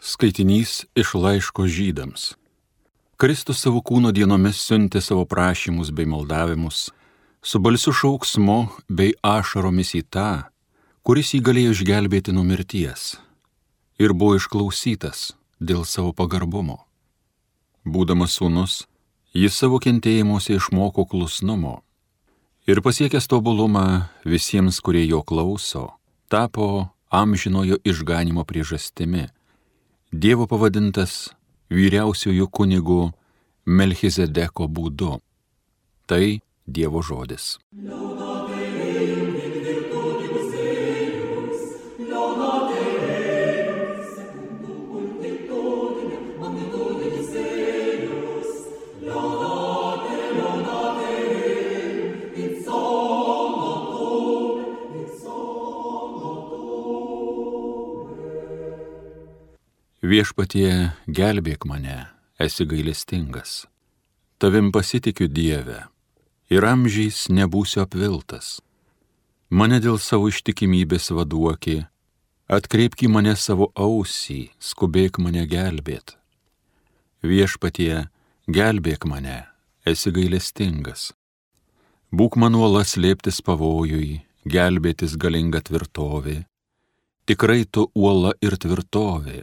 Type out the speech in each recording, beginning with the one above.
Skaitinys iš laiško Žydams. Kristus savo kūno dienomis siuntė savo prašymus bei maldavimus, su balsiu šauksmu bei ašaromis į tą, kuris jį galėjo išgelbėti nuo mirties, ir buvo išklausytas dėl savo pagarbumo. Būdamas sūnus, jis savo kentėjimuose išmoko klusnumo ir pasiekęs tobulumą visiems, kurie jo klauso, tapo amžinojo išganimo priežastimi, Dievo pavadintas vyriausiųjų kunigų Melchizedeko būdu. Tai Dievo žodis. Viešpatie, gelbėk mane, esi gailestingas. Tavim pasitikiu, Dieve, ir amžiais nebūsiu apviltas. Mane dėl savo ištikimybės vaduoki, atkreipk į mane savo ausį, skubėk mane gelbėt. Viešpatie, gelbėk mane, esi gailestingas. Būk man uola slėptis pavojui, gelbėtis galinga tvirtovė. Tikrai tu uola ir tvirtovė.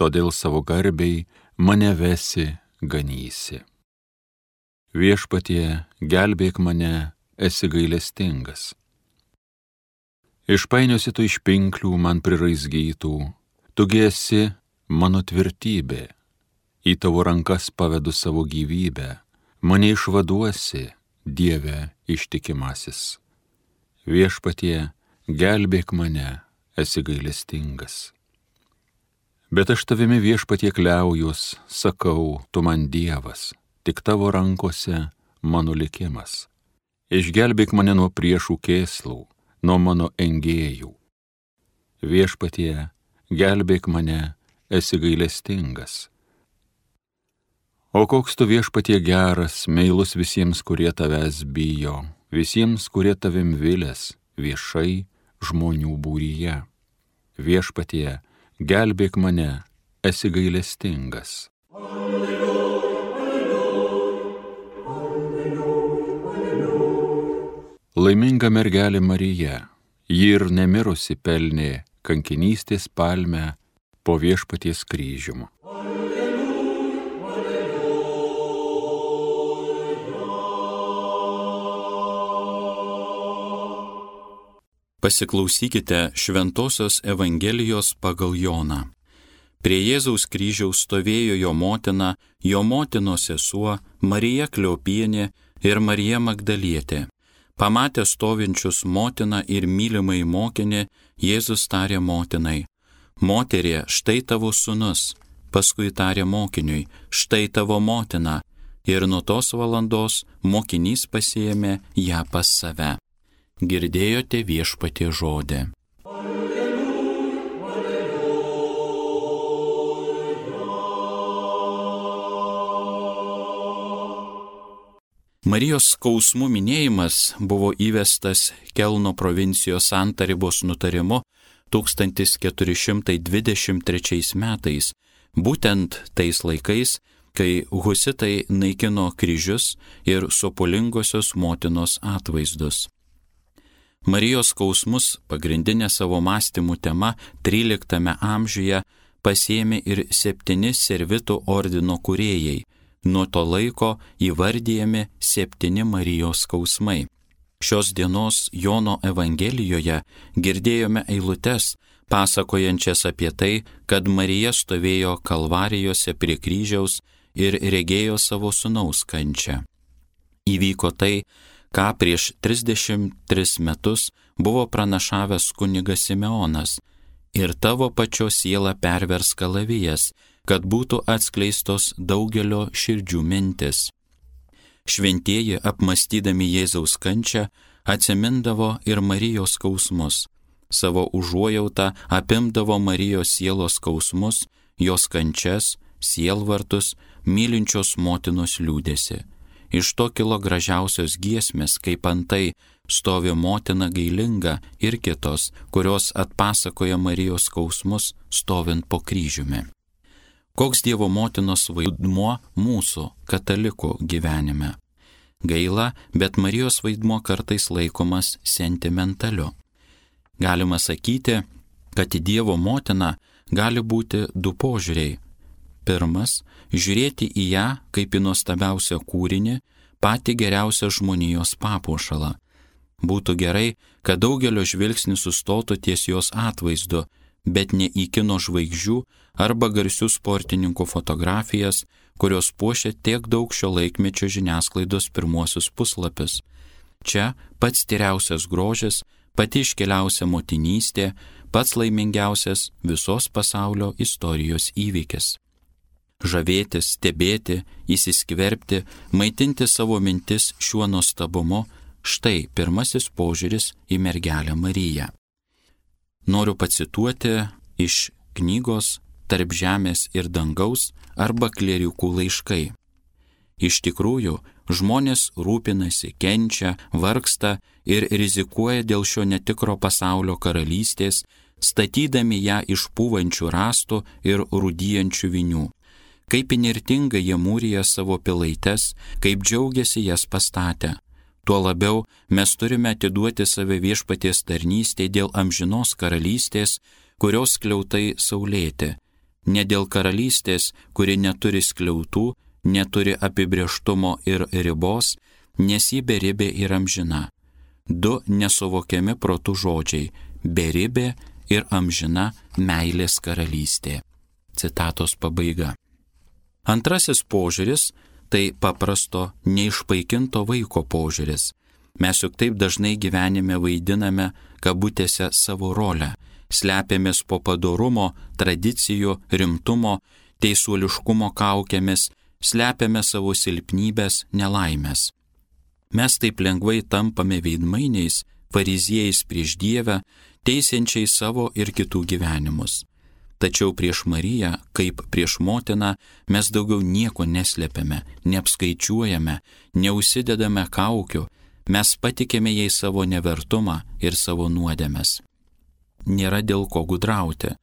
Todėl savo garbei mane vesi, ganysi. Viešpatie, gelbėk mane, esi gailestingas. Išpainiosi tu iš pinklių man priraizgytų, tugi esi mano tvirtybė. Į tavo rankas pavedu savo gyvybę, mane išvaduosi, Dieve ištikimasis. Viešpatie, gelbėk mane, esi gailestingas. Bet aš tavimi, Viešpatie, kliaujuos, sakau, tu man Dievas, tik tavo rankose mano likimas. Išgelbėk mane nuo priešų kėslų, nuo mano engėjų. Viešpatie, gelbėk mane, esi gailestingas. O koks tu, Viešpatie, geras, meilus visiems, kurie tavęs bijo, visiems, kurie tavim vilės, viešai žmonių būryje. Viešpatie, gelbėk mane, esi gailestingas. Alleluja, alleluja, alleluja. Laiminga mergelė Marija, ji ir nemirusi pelnė kankinystės palmę po Viešpaties kryžium. Alleluja, Pasiklausykite Šventosios Evangelijos pagal Joną. Prie Jėzaus kryžiaus stovėjo jo motina, jo motinos sesuo, Marija Kleopienė ir Marija Magdalietė. Pamatę stovinčius motiną ir mylimai mokinį, Jėzus tarė motinai: Moterie, štai tavo sūnus. Paskui tarė mokiniui: štai tavo motina. Ir nuo tos valandos mokinys pasiėmė ją pas save. Girdėjote Viešpatie žodį. Alleluja, alleluja. Marijos skausmų minėjimas buvo įvestas Kelno provincijos Santaribos nutarimu 1423 metais, būtent tais laikais, kai husitai naikino kryžius ir sopulingosios motinos atvaizdus. Marijos skausmus, pagrindinė savo mąstymų tema 13 amžiuje, pasiėmė ir 7 servitų ordino kūrėjai, nuo to laiko įvardyjami 7 Marijos skausmai. Šios dienos Jono Evangelijoje girdėjome eilutes, pasakojančias apie tai, kad Marija stovėjo Kalvarijose prie kryžiaus ir regėjo savo sūnaus kančią. Įvyko tai, ką prieš 33 metus buvo pranašavęs kunigas Simeonas: ir tavo pačios siela pervers kalavijas, kad būtų atskleistos daugelio širdžių mintis. Šventieji, apmąstydami Jėzaus kančią, atsimindavo ir Marijos skausmus. Savo užuojautą apimdavo Marijos sielos skausmus, jos kančias, sielvartus, mylinčios motinos liūdesį. Iš to kilo gražiausios giesmės, kaip antai stovi motina gailinga ir kitos, kurios atpasakoja Marijos skausmus stovint po kryžiumi. Koks Dievo motinos vaidmuo mūsų katalikų gyvenime? Gaila, bet Marijos vaidmuo kartais laikomas sentimentaliu. Galima sakyti, kad į Dievo motiną gali būti du požiūriai. Pirmas – žiūrėti į ją kaip į nuostabiausią kūrinį, patį geriausią žmonijos papuošalą. Būtų gerai, kad daugelio žvilgsnis sustotų ties jos atvaizdu, bet ne į kino žvaigždžių arba garsių sportininkų fotografijas, kurios puošia tiek daug šio laikmečio žiniasklaidos pirmuosius puslapius. Čia pats tyriausias grožis, pati iškiliausia motinystė, pats laimingiausias visos pasaulio istorijos įvykis. Žavėtis, stebėti, įsiskverbti, maitinti savo mintis šiuo nuostabumu – štai pirmasis požiūris į mergelę Mariją. Noriu pacituoti iš knygos Tarp žemės ir dangaus arba Klierikų laiškai. Iš tikrųjų, žmonės rūpinasi, kenčia, vargsta ir rizikuoja dėl šio netikro pasaulio karalystės, statydami ją iš pūvančių rąstų ir rūdyjančių vinių. Kaip įnirtingai jie mūrija savo pilaites, kaip džiaugiasi jas pastatę. Tuo labiau mes turime atiduoti save Viešpaties tarnystei dėl amžinos karalystės, kurios skliautai saulėti. Ne dėl karalystės, kuri neturi skliautų, neturi apibrėžtumo ir ribos, nes ji beribė ir amžina. Du nesuvokiami protų žodžiai – beribė ir amžina meilės karalystė. Citatos pabaiga. Antrasis požiūris – tai paprasto, neišpaikinto vaiko požiūris. Mes juk taip dažnai gyvenime vaidiname kabutėse savo rolę, slepiamės po padorumo, tradicijų, rimtumo, teisuoliškumo kaukėmis, slepiame savo silpnybės, nelaimės. Mes taip lengvai tampame veidmainiais, fariziejais prieš Dievą, teisiančiais savo ir kitų gyvenimus. Tačiau prieš Mariją, kaip prieš motiną, mes daugiau nieko neslepiame, neapskaičiuojame, neužsidedame kaukių, mes patikėme jai savo nevertumą ir savo nuodėmes. Nėra dėl ko gudrauti.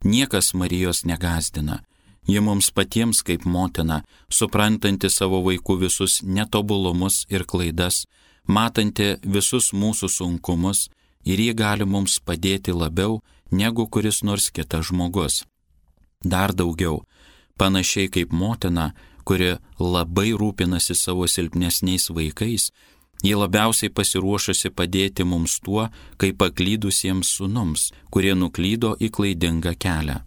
Niekas Marijos negąsdina. Ji mums patiems kaip motina, suprantanti savo vaikų visus netobulumus ir klaidas, matanti visus mūsų sunkumus, ir ji gali mums padėti labiau, negu kuris nors kitas žmogus. Dar daugiau, panašiai kaip motina, kuri labai rūpinasi savo silpnesniais vaikais, ji labiausiai pasiruošusi padėti mums tuo, kaip paklydusiems sūnums, kurie nuklydo į klaidingą kelią.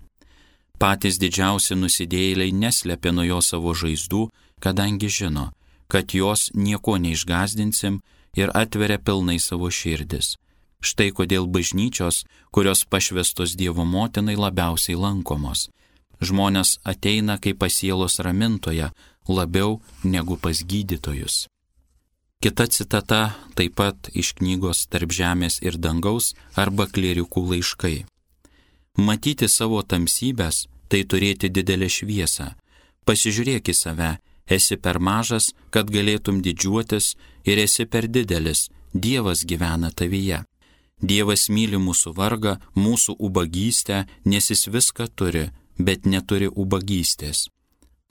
Patys didžiausi nusidėjėliai neslepia nuo jo savo žaizdų, kadangi žino, kad jos nieko neišgazdinsim ir atveria pilnai savo širdis. Štai kodėl bažnyčios, kurios pašvestos Dievo motinai, labiausiai lankomos. Žmonės ateina kaip pas sielos ramintoją, labiau negu pas gydytojus. Kita citata taip pat iš knygos Tarp žemės ir dangaus arba Klierikų laiškai. Matyti savo tamsybės – tai turėti didelę šviesą. Pasižiūrėk į save, esi per mažas, kad galėtum didžiuotis, ir esi per didelis, Dievas gyvena tavyje. Dievas myli mūsų vargą, mūsų ubagystę, nes jis viską turi, bet neturi ubagystės.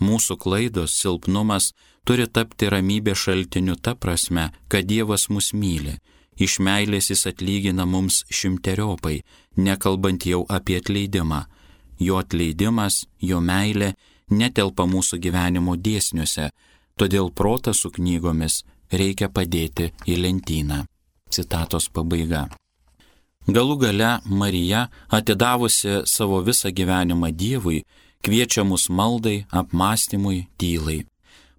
Mūsų klaidos, silpnumas turi tapti ramybė šaltiniu ta prasme, kad Dievas mus myli. Iš meilės jis atlygina mums šimteriopai, nekalbant jau apie atleidimą. Jo atleidimas, jo meilė netelpa mūsų gyvenimo dėsniuose, todėl protą su knygomis reikia padėti į lentyną. Citatos pabaiga. Galų gale Marija, atidavusi savo visą gyvenimą Dievui, kviečia mus maldai, apmąstymui, tylai.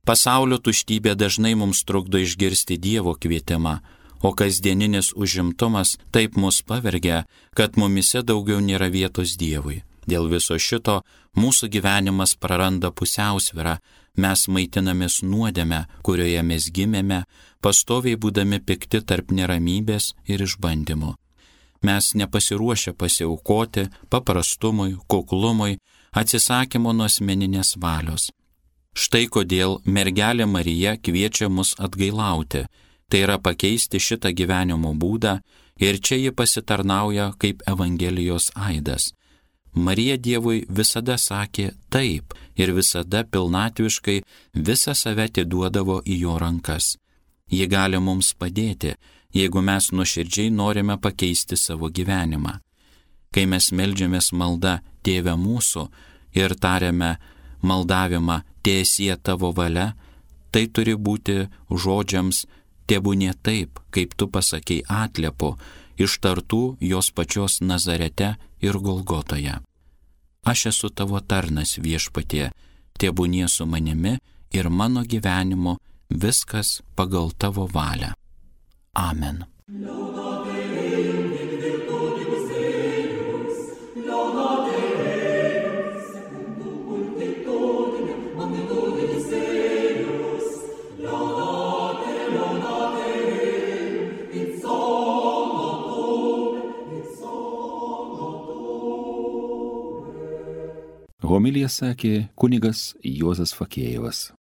Pasaulio tuštybė dažnai mums trukdo išgirsti Dievo kvietimą, o kasdieninis užimtumas taip mus pavergia, kad mumise daugiau nėra vietos Dievui. Dėl viso šito mūsų gyvenimas praranda pusiausvyrą, mes maitinamės nuodėme, kurioje mes gimėme, pastoviai būdami pikti tarp neramybės ir išbandymų. Mes nepasiruošę pasiaukoti paprastumui, kuklumui, atsisakymo nuo asmeninės valios. Štai kodėl mergelė Marija kviečia mus atgailauti, tai yra pakeisti šitą gyvenimo būdą, ir čia ji pasitarnauja kaip Evangelijos aidas. Marija Dievui visada sakė taip ir visada pilnatviškai visą save atiduodavo į jo rankas. Ji gali mums padėti, jeigu mes nuoširdžiai norime pakeisti savo gyvenimą. Kai mes meldžiamės malda Tėve mūsų ir tariame maldavimą Teesie tavo valia, tai turi būti žodžiams tebūnie taip, kaip tu pasakei atliepu, ištartų jos pačios Nazarete ir Golgotoje. Aš esu tavo tarnas Viešpatie, tebūnie su manimi ir mano gyvenimu viskas pagal tavo valią. Amen. Homiliją sakė kunigas Juozas Fakėjevas.